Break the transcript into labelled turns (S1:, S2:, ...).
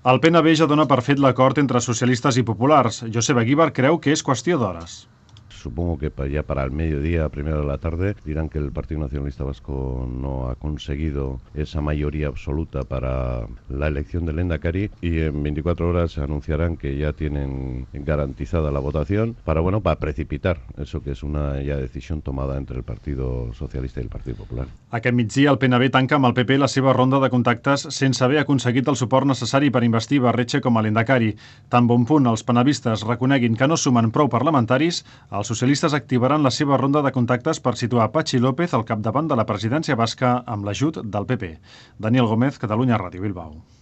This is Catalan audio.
S1: El PNB ja dona per fet l'acord entre socialistes i populars. Josep Aguilar creu que és qüestió d'hores.
S2: Supongo que ya para el mediodía, primero de la tarde, dirán que el Partido Nacionalista Vasco no ha conseguido esa mayoría absoluta para la elección del Lehendakari y en 24 horas anunciarán que ya tienen garantizada la votación para precipitar eso que es una ya decisión tomada entre el Partido Socialista y el Partido Popular.
S1: Aquest migdia el PNB tanca amb el PP la seva ronda de contactes sense haver aconseguit el suport necessari per investir Barretxe com a Lehendakari. Tan bon punt els penavistes reconeguin que no sumen prou parlamentaris, els socialistes activaran la seva ronda de contactes per situar Patxi López al capdavant de la presidència basca amb l'ajut del PP. Daniel Gómez, Catalunya Ràdio, Bilbao.